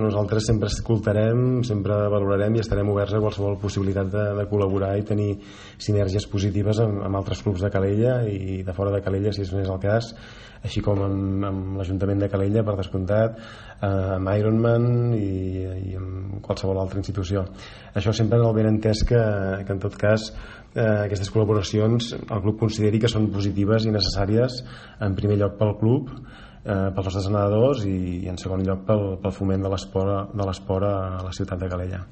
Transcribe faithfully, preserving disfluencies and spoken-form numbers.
Nosaltres sempre escoltarem, sempre valorarem i estarem oberts a qualsevol possibilitat de, de col·laborar i tenir sinergies positives amb, amb altres clubs de Calella i de fora de Calella, si és més el cas, així com amb, amb l'Ajuntament de Calella, per descomptat, eh, amb Ironman i, i amb qualsevol altra institució. Això sempre en el benentès que, que en tot cas eh, aquestes col·laboracions el club consideri que són positives i necessàries, en primer lloc pel club, Eh, pels nostres nedadors i, i en segon lloc pel, pel foment de l'esport de l'esport a la ciutat de Calella.